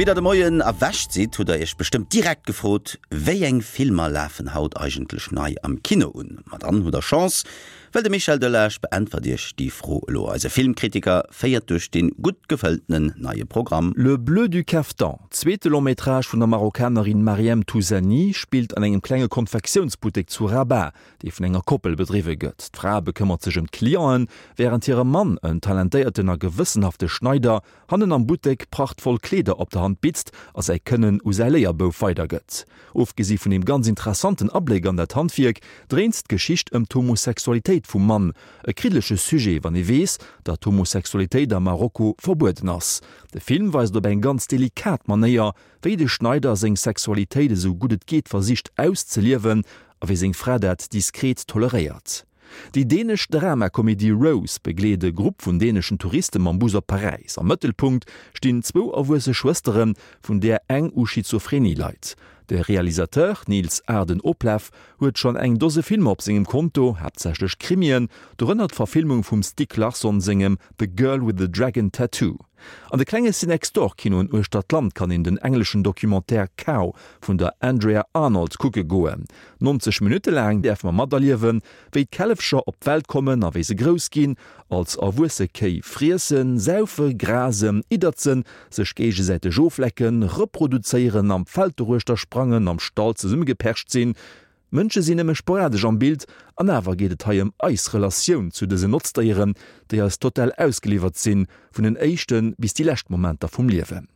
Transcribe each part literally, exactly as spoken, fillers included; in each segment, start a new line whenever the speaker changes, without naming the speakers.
Wéi der de Moien erwächt sidd, hutt der iech bestëmmt direkt gefrot, Wéi eng Filmer lafen haut eigentlech nei am Kino un? Ma dann hutt der Chance, well de Michel Delage beäntwert iech déi Fro elo. Eise Filmkritiker féiert duerch dee gutt gefëlltenen neie Programm.
Le Bleu du Caftan, zweete Long-métrage vun der Marokkanerin Maryem Touzani, spillt an engem klenge Konfektiounsbuttek zu Rabat, dee vun enger Koppel bedriwwe gëtt. D'Fra bekëmmert sech ëm d'Clienten, wärend hire Mann, en talentéierten a gewëssenhafte Schneider, hannen am Buttek prachtvoll Kleeder op der Hand bitzt a säi Kënnen u säi Léierbouf weidergëtt. Ofgesi vun deem ganz interessanten Abléck an dat Handwierk, dréint d'Geschicht ëm d'Homosexualitéit vum Mann, e kriddelege Sujet, wann ee weess, datt d'Homosexualitéit a Marokko verbueden ass. De Film weist op eng ganz delikat Manéier, wéi de Schneider seng Sexualitéit esou gutt et geet versicht auszeliewen a wéi seng Fra dat diskret toleréiert. Déi dänesch Dramakomedie Rose begleet e Grupp vun däneschen Touriste mam Bus op Paräis. Am Mëttelpunkt stinn zwou erwuesse Schwësteren, vun där eng u Schizophrenie leit. De Realisateur Niels Arden Oplev huet schonn eng Dose Filmer op sengem Konto, haaptsächlech Krimien, dorënner d'Verfilmung vum Stieg Larsson sengem The Girl with the Dragon Tattoo. An de klenge Cinextdoor-Kinoen uechter d'Land kann een den engleschen Documentaire Cow vun der Andrea Arnold kucke goen. nonzeg Minutte laang däerfe mer materliewen, wéi d'Källefcher op d'Welt kommen a wéi se grouss ginn, als erwuesse Kéi friessen, saufe, grasen, idderzen, sech géigesäiteg oflecken, reproduzéieren, am Feld doruechter sprangen, am Stall zesummegepercht sinn. Mënsche sinn nëmme sporadesch am Bild, an awer geet et hei ëm eis Relatioun zu dësen Notzdéieren, déi eis total ausgeliwwert sinn, vun den éischte bis déi lescht Momenter vum Liewen.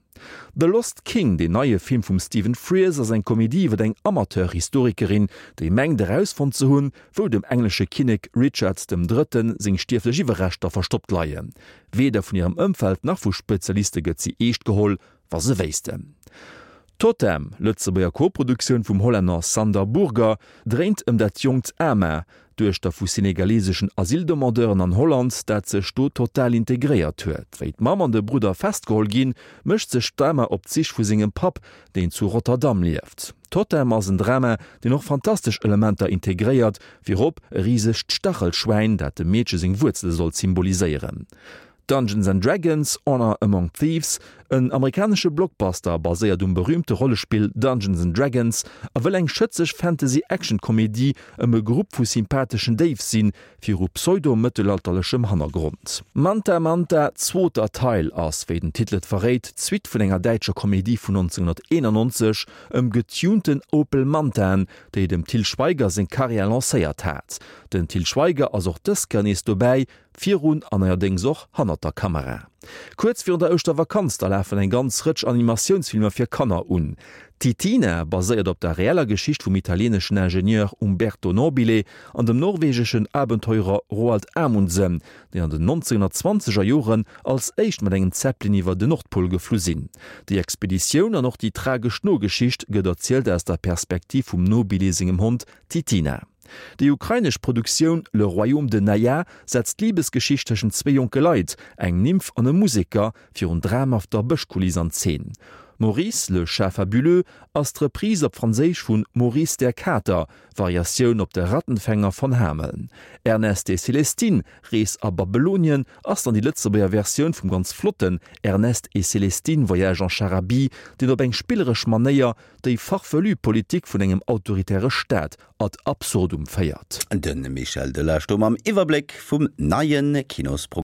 The Lost King, deen neie Film vum Stephen Frears, ass eng Komedie iwwer eng Amateur-Historikerin, déi mengt erausfonnt ze hunn, wou dem englesche Kinnek Richard dem Drëtten seng stierflech Iwwerreschter verstoppt leien. Weder vun hirem Ëmfeld nach vu Spezialiste gëtt si eescht geholl, wa se wéissten. Totem, Lëtzebuerger Koproduktioun vum Hollänner Sander Burger, dréint ëm dat jonkt Ama, Duechter vu senegaleseschen Asyldemandeuren an Holland, dat sech do total integréiert huet. Wéi d'Mamm an de Brudder festgeholl ginn, mécht sech d'Ama op d'Sich vu sengem Papp, deen zu Rotterdam lieft. Totem ass en Drama, deen och fantastesch Elementer integréiert, virop e risegt Stachelschwäin, dat dem Meedche seng Wuerzele soll symboliséieren. Dungeons and Dragons, Honor Among Thieves, en amerikanesche Blockbuster, baséiert um berüümte Rollespill Dungeons and Dragons a wëll eng schëtzeg Fantasy-Action-Komedie ëm e Grupp vu sympatheschen Déif sinn, viru pseudo-mëttelalterlechem Hannergrond. Manta Manta, Zweeter Teil ass, wéi den Titel et verréit, d'Suite vun enger däitscher Komedie vun nonzénghunnerteenannonzeg ëm getunten Opel Mantaen, déi dem Til Schweiger seng Karriär lancéiert hat. Den Til Schweiger ass och dës Kéier nees dobäi, virun an neierdéngs och hannert der Kamera. Kuerz virun der Ouschtervakanz da lafen eng ganz Rëtsch Animatiounsfilmer fir Kanner un. Titina baséiert op der reeller Geschicht vum italieeneschen Ingenieur Umberto Nobile an dem norwegeschen Abenteurer Roald Amundsen, déi an den nonzénghunnertzwanzeger Joren als éischt mat engem Zeppelin iwwer den Nordpol geflu sinn. Déi Expeditioun an och déi tragesch Nogeschicht gëtt erzielt aus der Perspektiv vum Nobile sengem Hond Titina. Déi ukrainesch Produktioun Le Royaume de Naya setzt d'Libesgeschicht tëschent zwee jonke Leit, eng Nymph an e Museker, virun dramhafter Bëschkuliss an Zeen. Maurice, le chat fabuleux ass d'Reprise op Franséisch vu Maurice der Kater, Variatioun op De Rattenfänger von Hameln. Ernest et Célestine, Rees a Babylonien ass dann déi Lëtzebuerger Versioun vum ganz flotten Ernest et Célestine, Voyage en Charabie, deen op eng spilleresch Manéier déi farfelu Politik vun engem autoritäre Staat ad absurdum féiert.
De Michel Delage do mam Iwwerbléck vum neie Kinosprogramm.